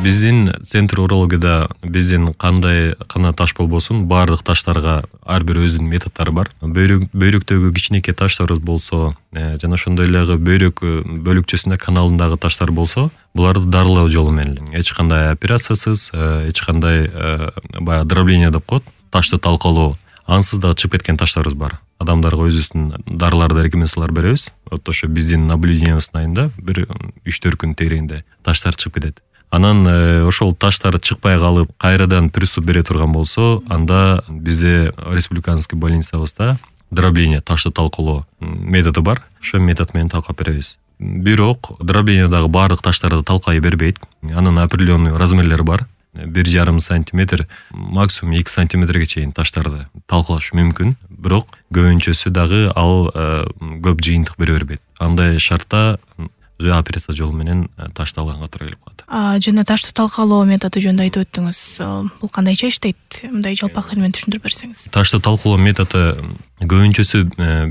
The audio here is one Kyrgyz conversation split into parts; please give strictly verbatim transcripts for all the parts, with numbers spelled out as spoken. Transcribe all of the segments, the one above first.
Биздин центр урологияда биздин кандай кана таш болбосун баардык таштарга ар бир өзүнүн методдору бар. Бөйрөк бөйрөктөгү кичинекей таштар болсо жана ошондой эле бөйрөк бөлүкчөсүндө каналындагы таштар болсо, буларды дарылоо жолу менен эч кандай операциясыз, эч кандай баягы дробление деп коет, ташты талкалоо, ансыз дагы чыгып кеткен таштарыбыз бар. Адамдарга өзүбүздүн дарыларды рекомендациялар беребиз. Вот ошо биздин наблюдениябыздын айында бир үч төрт күн тегерегинде таштар чыгып кетет. Анан ошол таштар чыкпай калып, кайрадан приступ бере турган болсо, анда бизде республиканский больницабызда дробление, ташты талкалоо методу бар. Ошол метод менен талкап беребиз. Бирок дроблениедагы баардык таштарды талкай бербейт. Анын определенный размерлери бар. бир жарым сантиметр, максимум эки сантиметрге чейин таштарды талкалаш мүмкүн. Бирок көбүнчөсү дагы ал көп жыйынтык бере бербейт. Андай шартта операция жолу менен ташты алганга туура келип калат. А жана ташты талкалоо методу жөнүндө айтып өттүңүз. Бул кандайча иштейт? Мындай жалпак тил менен түшүндүрүп берсеңиз. Ташты талкалоо методу көбүнчөсү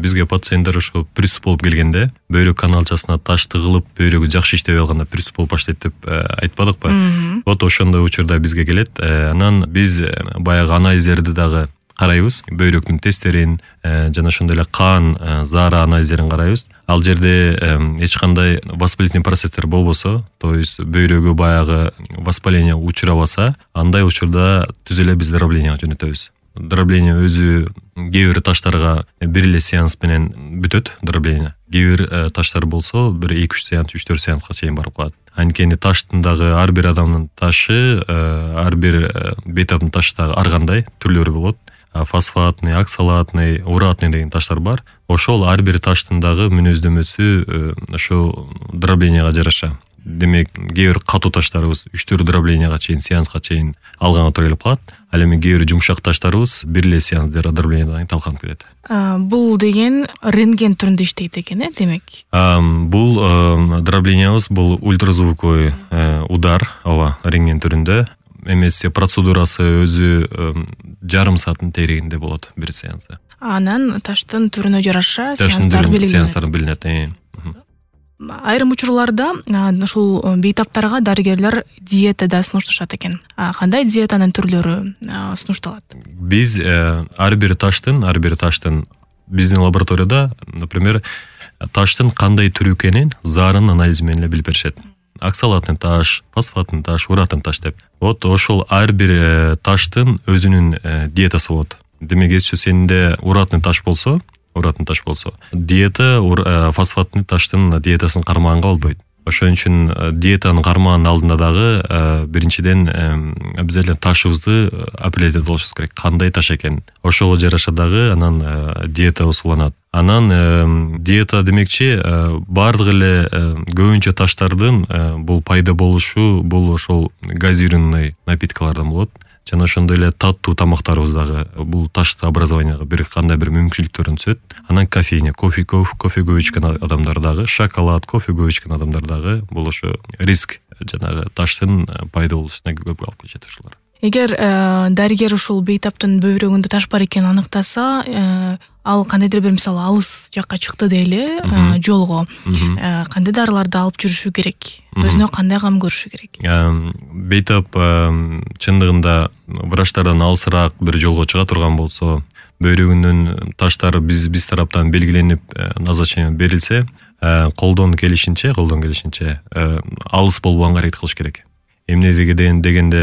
бизге пациенттер ошо приступ болуп келгенде, бөйрөк каналчасына таш тыгылып, бөйрөгү жакшы иштебей калганда приступ болуп баштайт деп айтпадыкпы? Вот ошондой учурда бизге келет. Анан биз баягы анализдерди дагы карайбыз, бөйрөктүн тесттерин жана ошондой эле кан, заара анализдерин карайбыз. Ал жерде эч кандай воспалительный процесстер болбосо, то есть бөйрөгү баягы воспаление учурабаса, андай учурда түз эле биз дроблениеге жөнөтөбүз. Дробление өзү кээ бир таштарга бир эле сеанс менен бүтөт дробление. Кээ бир таштар болсо бир эки үч сеанс, үч төрт сеанска чейин барып калат. Анткени таштын дагы ар бир адамдын ташы, ар бир бейтаптын ташы дагы ар кандай түрлөрү болот. Фосфатный, оксалатный, уратный деген таштар бар. Ошол ар бир таштын дагы мүнөздөмөсү ошо дроблениега жараша. Демек, кээ бир катуу таштарыбыз үч төрт дроблениега чейин, сеанска чейин алганга туура келип калат. Ал эми кээ бир жумшак таштарыбыз бир эле сеанс дроблениеден талканып кетет. Бул деген рентген түрүндө иштейт экен, э, демек? Бул дроблениябыз бул ультразвуковой удар, ооба, рентген түрүндө. Эмес, процедурасы өзү жарым сааттын тегерегинде болот бир сеансы. Анан таштын түрүнө жараша сеанстар белгиленет. Сеанстар белгиленет. Айрым учурларда ушул бейтаптарга дарыгерлер диета да сунушташат экен. Кандай диетанын түрлөрү сунушталат? Биз ар бир таштын, ар бир таштын биздин лабораторияда, например, таштын кандай түрү экенин заарын анализи менен билип беришет. Оксалатный таш, фосфатный таш, уратный таш деп. Вот ошол ар бир таштын өзүнүн диетасы болот. Демек, эгерчи сенде уратный таш болсо, уратный таш болсо, диета фосфатный таштын диетасын кармаганга болбойт. Ошон үчүн диетаны кармаганын алдында дагы биринчиден обязательно ташыбызды определять кылышыбыз керек. Кандай таш экен? Ошого жараша дагы анан диета уланат. Анан диета демекчи баардык эле көбүнчө таштардын бул пайда болушу бул ошол газированный напиткалардан болот. Жана ошондой эле таттуу тамактарыбыз дагы бул ташты образованияга бир кандай бир мүмкүнчүлүктөрүн түзөт. Анан кофейня, кофе, кофе көп ичкен адамдар дагы, шоколад, кофе көп ичкен адамдар дагы бул ошо риск жанагы таштын пайда болушуна көп алып келишет ушулар. Эгер дарыгер ушул бейтаптын бөйрөгүндө таш бар экенин аныктаса, ал кандайдыр бир мисалы алыс жакка чыкты дейли, жолго кандай дарыларды алып жүрүшү керек? Өзүнө кандай кам көрүшү керек? Бейтап чындыгында врачтардан алысыраак бир жолго чыга турган болсо, бөйрөгүнүн таштары биз биз тараптан белгиленип, назначение берилсе, колдон келишинче, колдон келишинче алыс болбоганга аракет кылыш керек. Эмне дегенде дегенде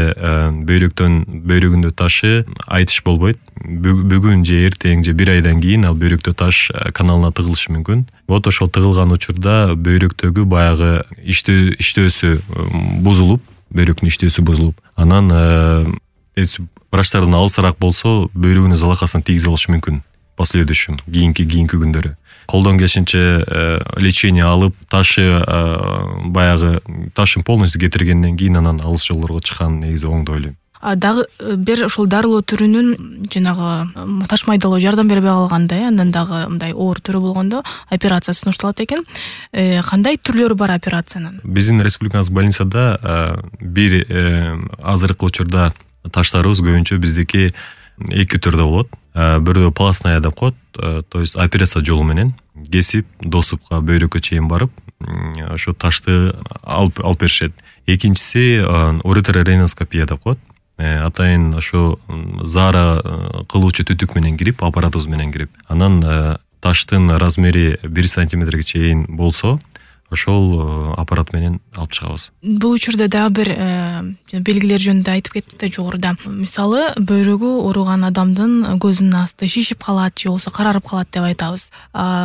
бөйрөктөн бөйрөгүндө ташы айтыш болбойт. Бүгүн же эртең же бир айдан кийин ал бөйрөктө таш каналына тыгылышы мүмкүн. Вот ошол тыгылган учурда бөйрөктөгү баягы иштөө иштөөсү бузулуп, бөйрөктүн иштөөсү бузулуп, анан врачтардан алысыраак болсо бөйрөгүнүн залакасына тийгизе алышы мүмкүн. Последующем кийинки кийинки күндөрү. Колдон келишинче лечение алып, ташы баягы ташын полностью кетиргенден кийин анан алыс жолдорго чыккан негизи оң деп ойлойм. Дагы бир ошол дарылоо түрүнүн жанагы таш майдалоо жардам бербей калганда, андан дагы мындай оор түрү болгондо операция сунушталат экен. Кандай түрлөрү бар операциянын? Биздин республикабыз больницада бир азыркы учурда таштарыбыз көбүнчө биздики эки түрдө болот. Бирөө пластная деп коет, то есть операция жолу менен кесип доступка бөйрөккө чейин барып, ошо ташты алып алып беришет. Экинчиси уретерорейноскопия деп коет. Атайын ошо заара кылуучу түтүк менен кирип, аппаратыбыз менен кирип, анан таштын размери бир сантиметрге чейин болсо, ошол аппарат менен алып чыгабыз. Бул учурда дагы бир белгилер жөнүндө айтып кеттик да жогоруда. Мисалы, бөйрөгү ооруган адамдын көзүнүн асты шишип калат же болбосо карарып калат деп айтабыз.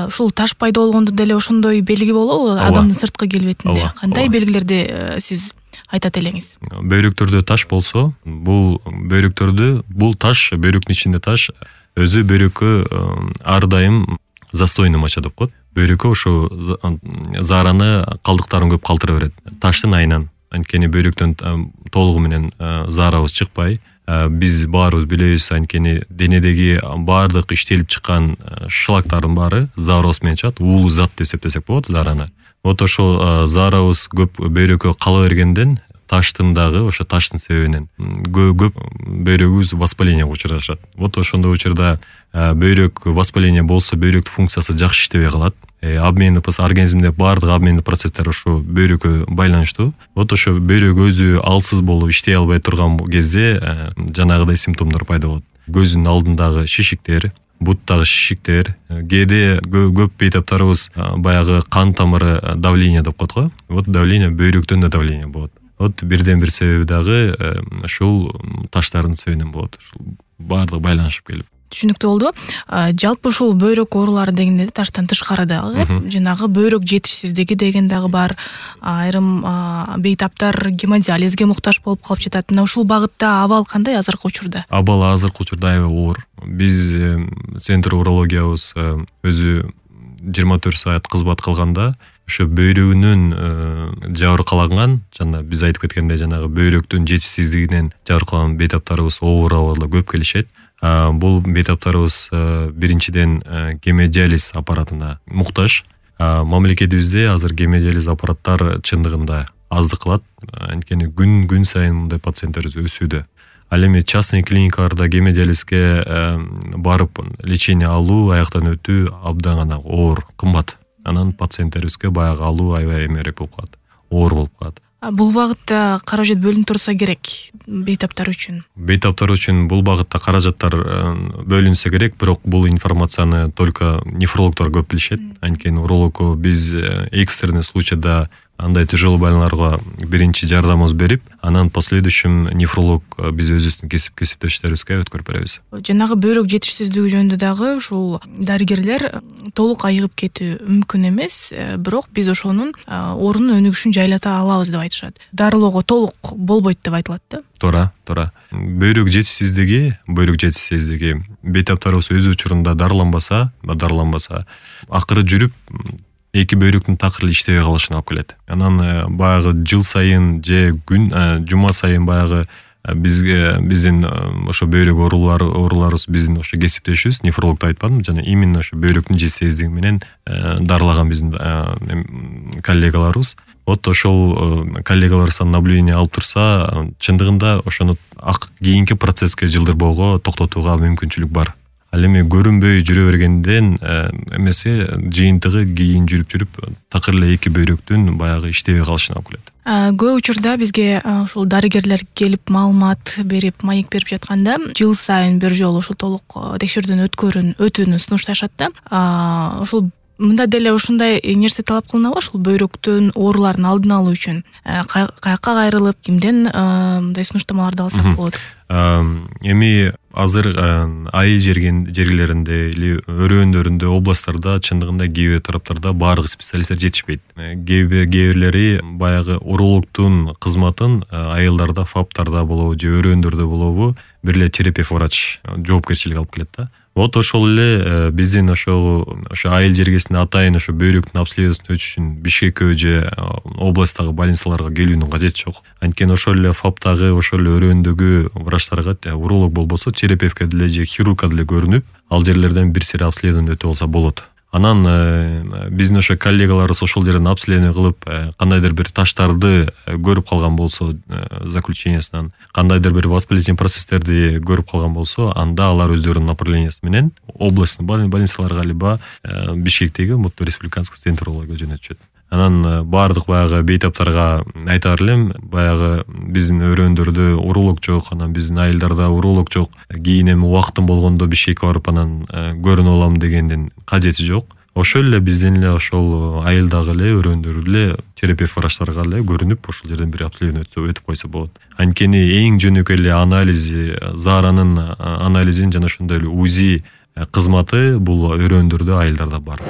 Ушул таш пайда болгондо деле ошондой белги болобу адамдын сырткы келбетинде? Кандай белгилерди сиз айтат элеңиз? Бөйрөктөрдө таш болсо, бул бөйрөктөрдү, бул таш, бөйрөктүн ичинде таш өзү бөйрөккө ар дайым застойный моча деп коет. Бөйрөккө ошо заараны калдыктарын көп калтыра берет. Таштын айынан. Анткени бөйрөктөн толугу менен заарабыз чыкпай, биз баарыбыз билебиз, анткени денедеги баардык иштелип чыккан шлактардын баары заарабыз менен чыгат. Уулуу зат деп эсептесек болот заараны. Вот ошо заарабыз көп бөйрөккө кала бергенден таштын дагы ошо таштын себебинен көп бөйрөгүбүз воспалениеге учурашат. Вот ошондой учурда бөйрөк воспаление болсо, бөйрөктүн функциясы жакшы иштебей калат. Обмендик организмде баардык обмендик процесстер ошо бөйрөккө байланыштуу. Вот ошо бөйрөк өзү алсыз болуп иштей албай турган кезде жанагыдай симптомдор пайда болот. Көздүн алдындагы шишиктер, буттагы шишиктер, кээде көп бейтаптарыбыз баягы кан тамыры давление деп коет го. Вот давление бөйрөктөн да давление болот. Вот бирден бир себеби дагы ушул таштардын себебинен болот. Ушул баардыгы байланышып келип. Түшүнүктүү болду. Жалпы ушул бөйрөк оорулары дегенде таштан тышкары дагы жанагы бөйрөк жетишсиздиги деген дагы бар. Айрым бейтаптар гемодиализге муктаж болуп калып жатат. Мына ушул багытта абал кандай азыркы учурда? Абал азыркы учурда аябай оор. Биз центр урологиябыз өзү жыйырма төрт саат кызмат кылганда ошо бөйрөгүнүн жабыркаланган, жана биз айтып кеткендей жанагы бөйрөктүн жетишсиздигинен жабыркаланган бейтаптарыбыз оор абалда көп келишет. Бул бейтаптарыбыз биринчиден гемодиализ аппаратына муктаж. Мамлекетибизде азыр гемодиализ аппараттар чындыгында аздык кылат, анткени күн күн сайын мындай пациенттерибиз өсүүдө. Ал эми частный клиникаларда гемодиализге барып лечение алуу, аяктан өтүү абдан гана оор, кымбат. Анан пациенттерибизге баягы алуу аябай эмерээк болуп калат, оор болуп калат. Бул багытта каражат бөлүнүп турса керек бейтаптар үчүн. Бейтаптар үчүн бул багытта каражаттар бөлүнсө керек, бирок бул информацияны только нефрологдор көп билишет. Анткени урологко биз экстренный случайда андай тяжелый байларга биринчи жардамыбыз берип, анан последующем нефролог биз өзүбүздүн кесип кесиптештерибизге өткөрүп беребиз. Жанагы бөйрөк жетишсиздиги жөнүндө дагы ушул дарыгерлер толук айыгып кетүү мүмкүн эмес, бирок биз ошонун ордунун өнүгүшүн жайлата алабыз деп айтышат. Дарылоого толук болбойт деп айтылат да. Туура, туура. Бөйрөк жетишсиздиги, бөйрөк жетишсиздиги бейтаптарыбыз өз учурунда дарыланбаса, дарыланбаса, акыры жүрүп эки бөйрөктүн такыр эле иштебей калышына алып келет. Анан баягы жыл сайын же күн жума сайын баягы бизге биздин ошо бөйрөк оорулары ооруларыбыз биздин ошо кесиптешибиз, нефрологду айтпадым, жана именно ошо бөйрөктүн жетишсиздиги менен дарылаган биздин коллегаларыбыз. Вот ошол коллегаларыбыздан наблюдение алып турса, чындыгында ошону кийинки процесске жылдырбоого, токтотууга мүмкүнчүлүк бар. Ал эми көрүнбөй жүрө бергенден эмесе жыйынтыгы кийин жүрүп-жүрүп такыр эле эки бөйрөктүн баягы иштебей калышына алып келет. Көп учурда бизге ушул дарыгерлер келип маалымат берип, маек берип жатканда жыл сайын бир жолу ушул толук текшерүүдөн өткөрүн, өтүүнү сунушташат да. Ушул мында деле ушундай нерсе талап кылынабы, ушул бөйрөктүн ооруларын алдын алуу үчүн каякка кайрылып, кимден мындай сунуштамаларды алсак болот? Эми азыр айыл жергелеринде или өрөөндөрүндө, областтарда чындыгында кээ бир тараптарда баардык специалисттер жетишпейт. Кээ бирлери баягы урологдун кызматын айылдарда, фаптарда болобу же өрөөндөрдө болобу бир эле терапевт врач жоопкерчилик алып келет да. Вот ошол эле биздин ошо ошо айыл жергесинде атайын ошо бөйрөктүн обследованиясын өтүш үчүн Бишкекке же областтагы больницаларга келүүнүн кажети жок. Анткени ошол эле фаптагы, ошол эле өрөөндөгү врачтарга уролог болбосо терапевтке деле же хирургка деле көрүнүп, ал жерлерден бир сыйра обследование өтүп алса болот. Анан биздин ошо коллегаларыбыз ошол жерден обследование кылып, кандайдыр бир таштарды көрүп калган болсо, заключениясынан кандайдыр бир воспалительный процесстерди көрүп калган болсо, анда алар өздөрүнүн направлениясы менен областный больницаларга либо Бишкектеги Мурту республиканский центрларга жөнөтүшөт. Анан баардык баягы бейтаптарга айтар элем, баягы биздин өрөөндөрдө уролог жок, анан биздин айылдарда уролог жок, кийин эми убактым болгондо Бишкекке барып анан көрүнүп алам дегендин кажети жок. Ошол эле биздин эле ошол айылдагы эле өрөөндөрдө эле терапевт врачтарга эле көрүнүп, ошол жерден бир обследование өтүп койсо болот. Анткени эң жөнөкөй эле анализи, зааранын анализин жана ошондой эле УЗИ кызматы бул өрөөндөрдө, айылдарда бар.